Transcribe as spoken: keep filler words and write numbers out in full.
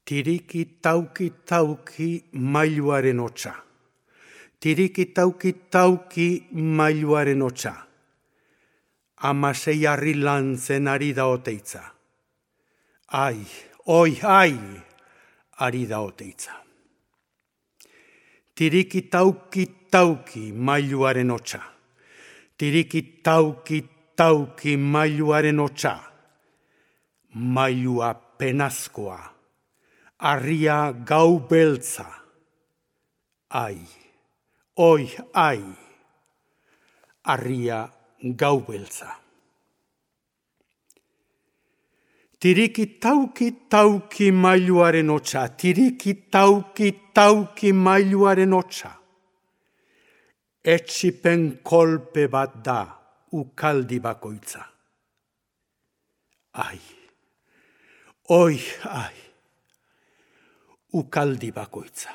Tiriki tauki tauki mailuaren hotsa. Tiriki tauki tauki mailuaren hotsa. Amasei harri lantzen ari da oteitza. Ai, oi, ai, ari da oteitza. Tiriki tauki tauki mailuaren hotsa. Tiriki tauki tauki mailuaren hotsa. Mailua penazkoa. Arria gau beltza. Ai, oi, ai, arria gau beltza. Tiriki tauki tauki mailuaren hotsa, tiriki tauki tauki mailuaren hotsa. Etsipen kolpe bat da ukaldi bakoitza. Ai, oi, ai. Ukaldi bakoitza.